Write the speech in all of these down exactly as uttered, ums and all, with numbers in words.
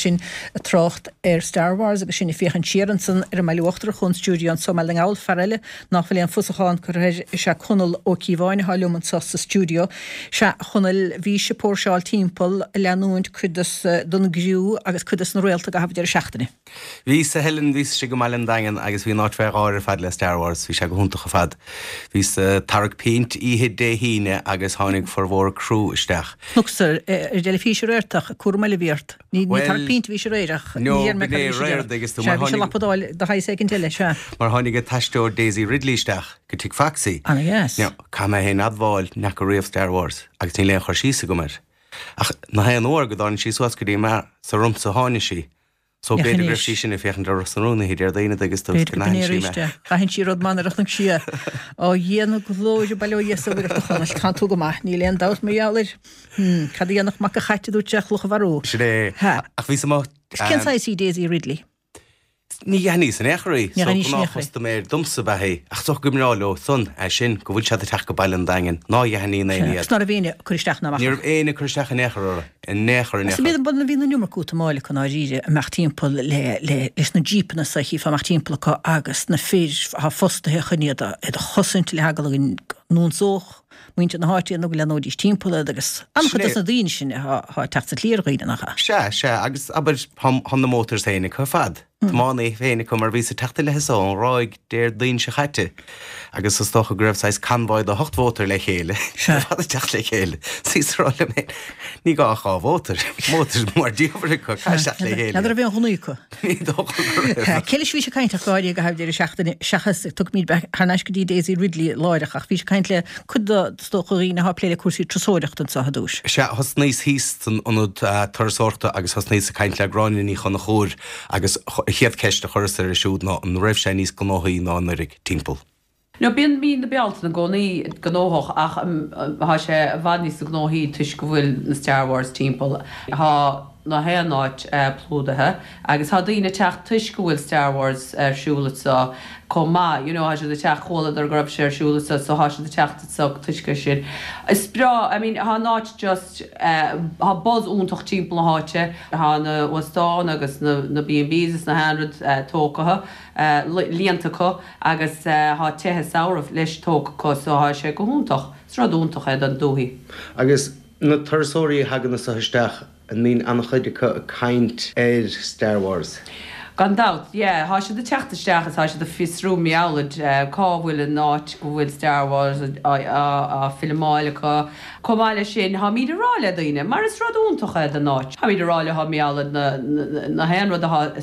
sinn ag trácht ar Star Wars agus sinn ag féachaint siar ansan ar an mBaile Uachtarach ón stiúideo anso i mBaile na nGall. Fear eile nach bhfuil aon fhusachán curtha air is ea Conall Ó Cíobháin atá liom anso sa stiúideo. Sea, a Chonaill, bhís ag póirseáil timpeall ag leanúint cuid des den gcriú agus cuid des na réalta i gcaitheamh deireadh seachtaine. Bhíos, a Helen, bhíos istigh i mBaile an Daingin agus bhí an áit fé gháir ar fad le Star Wars, bhí sé go hiontach ar fad. Bhíos ag tarrac pínt oíche Dé hAoine agus tháinig formhór criú isteach. Chonacsa ar an dteilifís aréir ach cúram eile a bhí ort. Ní tarrac pínt a bhís aréir ach ní dhear mé cad a bhís a déanamh. Sea, bhís ag lapadáil do shaghas éicint eile, sea. Mar tháinig an t-aisteoir Daisy Ridley isteach go tigh Foxy. Ana dheas. Now, caithfidh mé féin admháil, n'fheaca riamh Star Wars agus níl aon chur síos agam air. Ach na haon uair go dtáinig sí suas go dtí an mbeár, is ormsa a tháinig sí. So b'fhéidir go raibh sí sin ag féachaint ar Ros na Rún oíche Déardaoin agus tú B'fhéidir go b'in é arís é. D'aithin sí rud maith nuair a chonaic sí é. Ó Dhia na glóire, bail ó Dhia is a Mhuire ort a Chonaill, tánn tú go maith, níl aon dabht mar gheall air. Hmm, cad a dhéanfadh mac an chait a dúirt sé, cloch a mharú. Sin é. Ha. Ach bhíos amuigh. Cén saghas í Daisy Ridley? Ní aithníos in aon chor í, so gnáthchustaiméir domsa ab ea í, ach is dócha go mbreá leo san é sin, go bhfuil siad ag teacht go Baile an Daingin, ná aithníonn éinne iad. Agus ná raibh éinne ag cur isteach ná amach Ní raibh éinne ag cur isteach in aon chor orthu, in aon chor, in aon Is chor. bíonn, bhí an iomarca útamáil acu ndáiríre, imeacht timpeall le, le, leis na jípeanna so, chífeá imeacht timpeall acu agus na fir atá fostaithe chun iad a, iad a chosaint le heagla go n-ionsódh muintir na háite iad nó go leathnóidís timpeall iad agus an-chuid Sin é. dos na daoine sin atá, atá ag teacht sa tslí ar dhaoine, nach ea? Sea, sea, agus abair, thá, thá na motors féin acu ar fad. Tiománaithe féin acu mar bhíos ag teacht i leith anso ón Ghráig Déardaoin seo chaite agus is dócha go raibh saghas convoy de hocht mhótar le chéile ar fad ag teacht le chéile. Is bhíos ag rá liom féin, ní gá ach dhá mhótar, mótar mar diabhal acu, caithfidh teacht le chéile. N'fheadar raibh aon ghunnaí acu. Ní dócha go raibh. Cé leis a bhís ag caint ach go háirithe i gcaitheamh deireadh seachtaine seachas, tiocfaimid thar n-ais go dtí Daisy Ridley láithreach ach bhís ag caint le cuid de, is dócha, dhaoine atá ag plé le cúrsaí turasóireachta anseo ar dtúis. Sea, thosnaíos thíos san ionad turasóireachta agus thosnaíos ag caint le Gráinne Ní Chonchúir agus an chéad cheist a chuireas uirthi siúd ná an raibh sé níos gnóthaí ná anuraidh timpeall. No, bíonn mí na Bealtaine i gcónaí gnóthach ach tá sé i bhfad níos gnóthaí toisc go bhfuil na Star Wars timpeall. Tá na haon áit plódaithe agus tá daoine ag teacht toisc go bhfuil Star Wars ar siúl anseo chomh maith, you know, tá siad ag teacht, chualadar go raibh sé ar siúl anseo so tá siad ag teacht anseo toisc é sin. Is breá, I mean, tá an áit just, tá buzz iontach timpeall na háite, tá na hóstáin agus na na B and Bs is na haon rud tógtha, líonta acu agus tá tithe samhraidh leis tógtha acu so tá sé go hiontach. Is rud iontach é don dúthaigh. Agus na turasóirí a thagann anso isteach, an mbíonn an-chuid acu ag caint ar Star Wars? Gan dabht, yeah. Thá siad ag teacht isteach is thá siad ag fiosrú meabhlaid cá bhfuil an áit go bhfuil Star Wars á filmeáil acu. Chomh maith leis sin, tháimid ag rá le daoine, mar is rud iontach é don áit, tháimid ag rá leo meabhlaid na na haon rud athá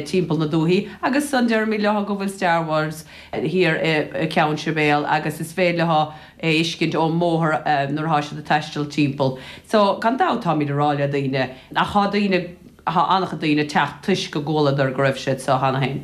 timpeall na dúthaí agus san deirimid leo go bhfuil Star Wars thiar i Ceann Sibéal agus is féidir leo é fheiscint ón mbóthar nuair athá siad ag taisteal timpeall. So, gan dabht táimid ag rá le daoine, ach thá daoine, Thá an-chuid daoine ag teacht toisc go gcualadar go raibh sé anso cheana féin.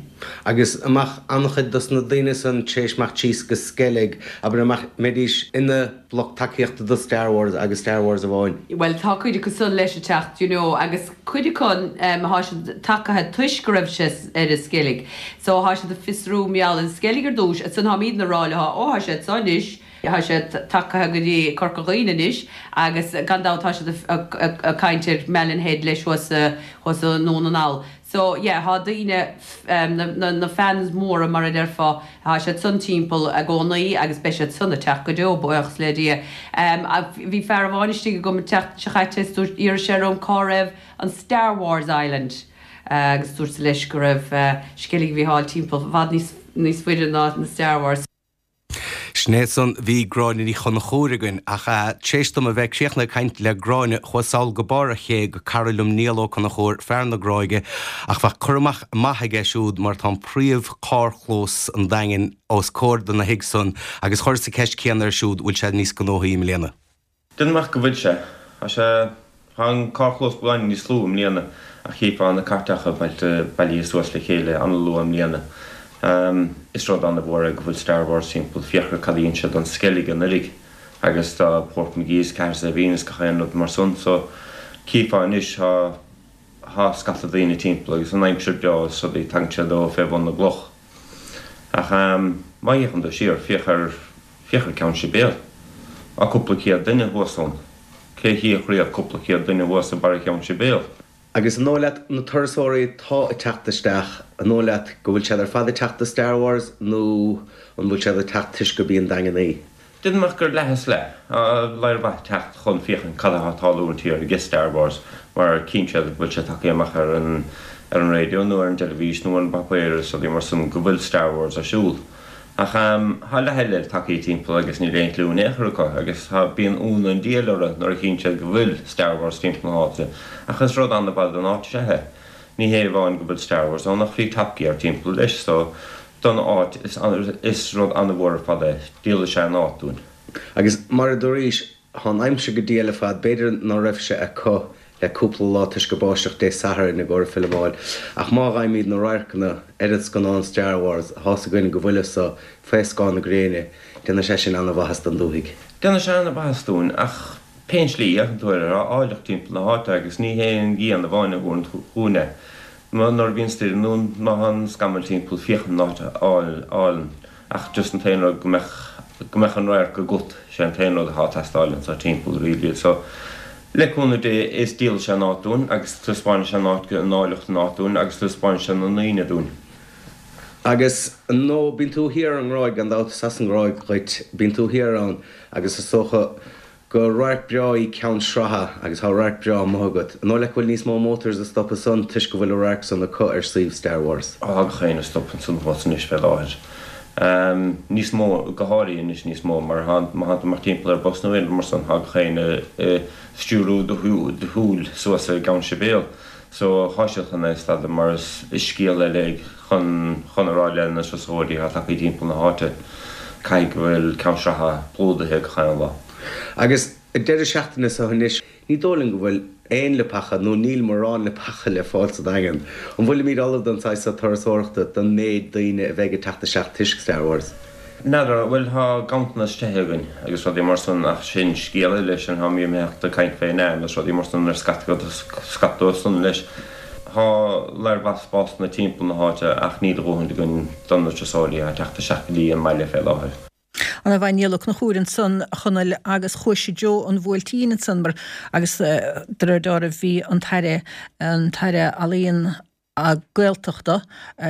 Agus an mbeadh an-chuid dos na daoine san tar éis imeacht síos go Sceilg, abair, an mbeadh, mbeidís ina lucht tacaíochta do Star Wars agus Star Wars amháin? Bhuel, tá cuid acu san leis ag teacht, you know, agus cuid acu, thá siad tagaithe toisc go raibh sé ar an Sceilg. So, thá siad ag fiosrú mar gheall ar an Sceilg ar dtúis, ansan tháimídne ag rá leo, ó, thá sé anso anois, Tá sé tagaithe go dtí Corca Dhuibhne anois agus gan dabht tá siad ag caint ar Malin Head leis thuas thuas i nDún na nGall. So yeah, tá daoine, na fans móra mar a déarfá, tá siad san timpeall i gcónaí agus beidh siad san ag teacht go deo, buíochas le Dia. Bhí fear amháin istigh agam an tseachtain seo chaite is dúirt, d'iarr sé orm cá raibh an Star Wars Island agus dúrtsa leis go raibh Sceilg Mhícheáil timpeall i bhfad níos faide ná na Star Wars. Sin é san, bhí Gráinne Ní Chonchúir againn, ach tar éis dom a bheith críochnaithe ag caint le Gráinne, chuas sall go barr an ché go cara liom Niall Ó Conchúir, fear na Gráige, ach bheadh cur amach maith aige siúd mar tá an príomh carrchlós an Daingin os comhair dona thigh san agus chuireas an ceist céanna air siúd, bhfuil sé níos gnóthaí i mbliana? Déanaim amach go bhfuil sé. Tá sé, tá an carrchlós beagáinín níos lú i mbliana ach chífeá na cairteacha bailithe suas le chéile an-luath i mbliana. Is rud an-mhór é go bhfuil Star Wars timpeall, féach ar cad a dhein sé don Sceilg anuraidh agus do Portmagee is Cahersiveen is gach aon rud mar san so chífeá anois tá, tá scata daoine timpeall agus an aimsir breá is rudaí tagann siad ó fé bhun na gcloch. Ach má fhéachann tú siar, féach ar, féach ar Ceann Sibéal. Tá cúpla céad duine thuas ann. Cé a chífeadh riamh cúpla céad duine thuas i barra Cheann Sibéal? Agus an dóigh leat na turasóirí atá ag teacht isteach, an dóigh leat go bhfuil siad ar fad ag teacht do Star Wars nó an bhfuil siad ag teacht toisc gurb í an Daingean í? Déarfainn amach gur leath is leath. Tá lear mhaith ag teacht chun féachaint cad atá ag tarlú an thiar ag Star Wars mar cíonn siad go bhfuil sé tagtha amach ar an ar an raidió nó ar an dteilifís nó ar an bpáipéar is rudaí mar san go bhfuil Star Wars ar siúl. Ach tá leath eile tagtha timpeall agus níl aon chliú in aon chor acu agus tá, bíonn ionadh an diabhail orthu nuair a chíonn siad go bhfuil Star Wars timpeall na háite. Ach is rud an-mhaith don áit is ea é. Ní hé amháin go bhfuil Star Wars ann ach bhí Top Gear timpeall leis so don áit is is rud an-mhór ar fad é. Díolfaidh sé an áit dúinn. Agus mar a dúraís, Tá an aimsir go diail ar fad, b'fhéidir ná raibh sé acu le cúpla lá toisc gur báisteach Dé Sathairn i gcomhair filimeáil, ach má fhaighimid na radharcanna ar an scannán Star Wars, thá's againn go bhfuil so fé scáth na gréine, déanfaidh sé sin ana-mhaitheas don dúthaigh. Déanfaidh sé ana-mhaitheas dúinn, ach pén slí, féachann tú air, tá áilleacht timpeall na háite agus ní hé an ghrian amháin a thabharann chugainn é. Nuair a bhíonn stoirm nó má tá an scamall timpeall, féachann an áit álainn. Ach just an t-aon rud go mbeadh, go mbeadh an radharc agat, sé an t-aon rud atá ag teastáil anso timpeall really. So, le cúnamh Dé is díolfaidh sé an áit dúinn agus taispeánfaidh sé an áit, an áilleacht an áit dúinn agus taispeánfaidh sé na ndaoine dúinn. Agus nó bíonn tú thiar ar an nGráig, gan dabht, is as an nGráig dhuit, bíonn tú thiar ann agus is dócha gur radharc breá í Ceann Sratha agus tá radharc breá amuigh agat. An dóigh leat go bhfuil níos mó motors ag stopadh ansan toisc go bhfuil an radharc san acu ar suíomh Star Wars? Tá gach éinne ag stop ansan thuas anois fé láthair. Níos mó, go háirithe anois níos mó mar má thánn tú amach timpeall ar bus nó aon rud mar san tá gach éinne ag stiúrú do shúil suas i gCeann Sibéal. So thá siad chun é a stadadh mar is scéal eile é chun chun a rá le na turasóirí atá tagtha timpeall na háite caithfidh go bhfuil Ceann Sratha plódaithe gach aon lá. Agus an deireadh seachtaine seo anois, ní dóigh liom go bhfuil aon leapacha, nó níl mórán leapacha le fáil sa Daingean. An bhfuilimid ullamh don saghas seo turasóireachta, don méid daoine a bheidh ag teacht isteach toisc Star Wars? N'fheadar, bhuel tá ganntanas tithe againn agus rudaí mar san ach sin scéal eile, sin tá mé imeacht ag caint fén am agus rudaí mar san ar scata scata dóibh san leis. Tá lear mhaith spásanna timpeall na háite ach níl a dhóthaint againn do na turasóirí atá ag teacht isteach go dtí an mbaile fé láthair. Ana mhaith Niall Ó Conchúir ansan, a Chonaill, agus chuais i dtreo an Bhuailtín ansan mar agus de réir dealraimh bhí an tAire, an tAire Ealaíon agus Gaeltachta,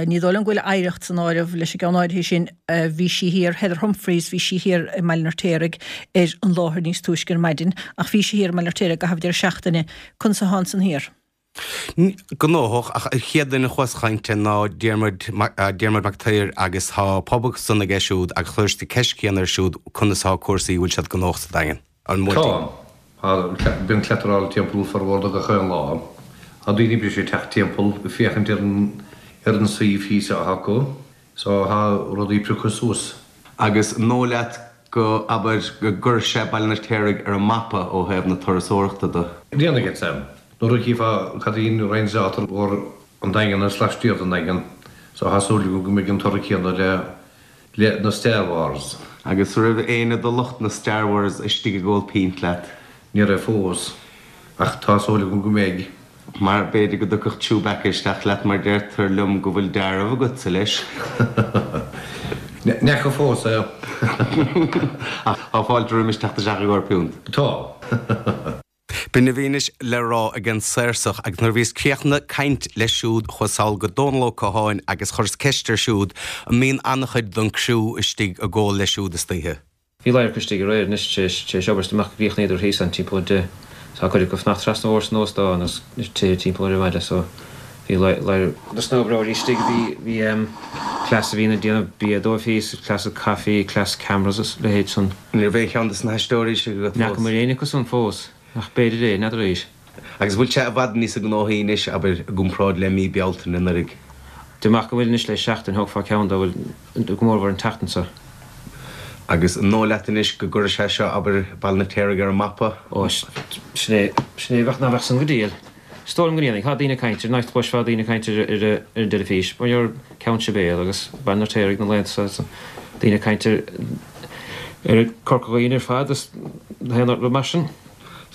ní dóigh liom go bhfuil oidhreacht san áireamh leis an gceann áirithe sin, bhí sí thiar, Heather Humphreys, bhí sí thiar i mBaile an Fheirtéaraigh ar an láthair níos túisce ar maidin ach bhí sí thiar i mBaile an Fheirtéaraigh i gcaitheamh deireadh seachtaine. Conas atá ansan thiar? Gnóthach, ach an chéad duine a chuas a chaint le ná Diarmuid Diarmuid Mac Uidhir agus tá pub ansan aige siúd agus chuireas an ceist chéanna air siúd conas atá cúrsaí, bhfuil siad gnóthach sa Daingean? An Tá. Tá. Bíonn cleataráil timpeall formhór de gach aon lá. Tá daoine breise ag teacht timpeall ag féachaint ar an ar an suíomh thíos atá acu so tá rudaí prioctha suas. Agus an dóigh leat go, abair, go gcuirfidh sé Baile an Fheirtéaraigh ar an mapa ó thaobh na turasóireachta de? Déanfaidh, Sam. Nuair a chífeá cad í an range atá ar an Daingean agus laistiar den Daingean so tá súil agam go mbeidh an toradh céanna le le na Star Wars. Agus raibh éinne de lucht na Star Wars istigh ag ól pínt leat? Ní raibh fós, ach tá súil agam go mbeidh. Mar b'fhéidir go dtiocfadh Chewbacca isteach leat mar deirtear liom go bhfuil dealramh agatsa leis. N'fheaca fós é. Ach tá fáilte roimis teacht isteach i gcomhair piúnt. Tá. B'in a bhí anois le rá ag an Sársach agus nuair a bhíos críochnaithe caint leis siúd chuas sall go Dónal Ó Catháin agus chuireas ceist air siúd an mbíonn an-chuid don criú istigh ag ól leis siúd istoíche. Bhí ladhar acu istigh aréir anois tar éis tar éis obair is dá mbeadh chríochnaíodar thíos ann timpeall a deich. Tá cuid acu ag fanacht trasna an bhóthair san óstán agus tithe timpeall ar an bhaile so bhí ladhar dos na hoibreoirí istigh bhí bhí em cleas a bhíonn ag déanamh bia dóibh thíos, cleas caife, cleas cameras is leithéid san. Ní raibh aon cheann dos na haisteoirí istigh agat N'fheaca fós? mé éinne acu san fós. Ach b'fhéidir é, n'fheadar arís. Agus bhfuil sé i bhfad níosa gnóthaí anois, abair, i gcomparáid le mí Bealtaine anuraidh? Dá mbeadh go bhfuil anois le seachtain, thógfá ceann dá bhfuil, go mórmhór an tseachtain seo. Agus an dóigh leat anois go gcuirfidh sé seo, abair, Baile an Fheirtéaraigh ar an mapa? Ó, sin é, sin é, bheadh, ná bheadh san go diail. Is dóigh liom go ndéanfaidh. Tá daoine ag caint air, anois chloisfeá daoine ag caint ar ar an dteilifís, mar gheall ar Ceann Sibéal agus Baile an Fheirtéaraigh na laethanta seo, daoine ag caint ar ar Corca Dhuibhne ar fad is aon rud mar sin.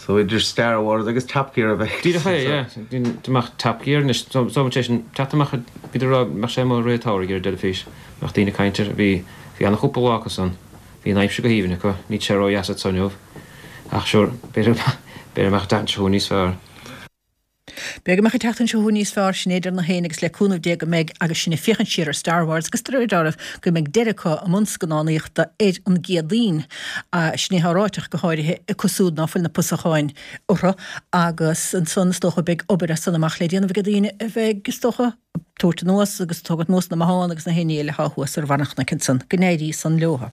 So idir Star Wars agus Top Gear a bheidh Díreach é, yeah. Dá mbeadh Top Gear anois, so so sé sin teacht amach bhíodar ag rá go mbeadh sé amuigh i rith an tsamhraidh ar an dteilifís, mbeadh daoine ag caint air. Bhí bhí ana-chúpla lá acu san. Bhí an aimsir go haoibhinn acu, níl sé ró-dheas anso inniu. Ach sure, b'fhéidir b'fhéidir go mbeadh an tseachtain seo chugainn níos fearr. B'fhéidir go mbeadh an tseachtain seo chugainn níos fearr, sin é deir na héinne agus le cúnamh Dé go mbeidh agus sinn ag féachaint siar ar Star Wars agus de réir dealraimh go mbeidh deireadh acu i mbun scannánaíochta ar an gCéadaoin. Sin é atá ráite ach go háirithe acu siúd ná fuil na pusacháin orthu agus ansan is dócha beidh obair as san amach le déanamh ag daoine a bheidh is dócha ag tabhairt anuas agus ag tógaint anuas na mathán agus na héinne eile atá thuas ar bharr an chnoic ansan. Go n-éirí san leo.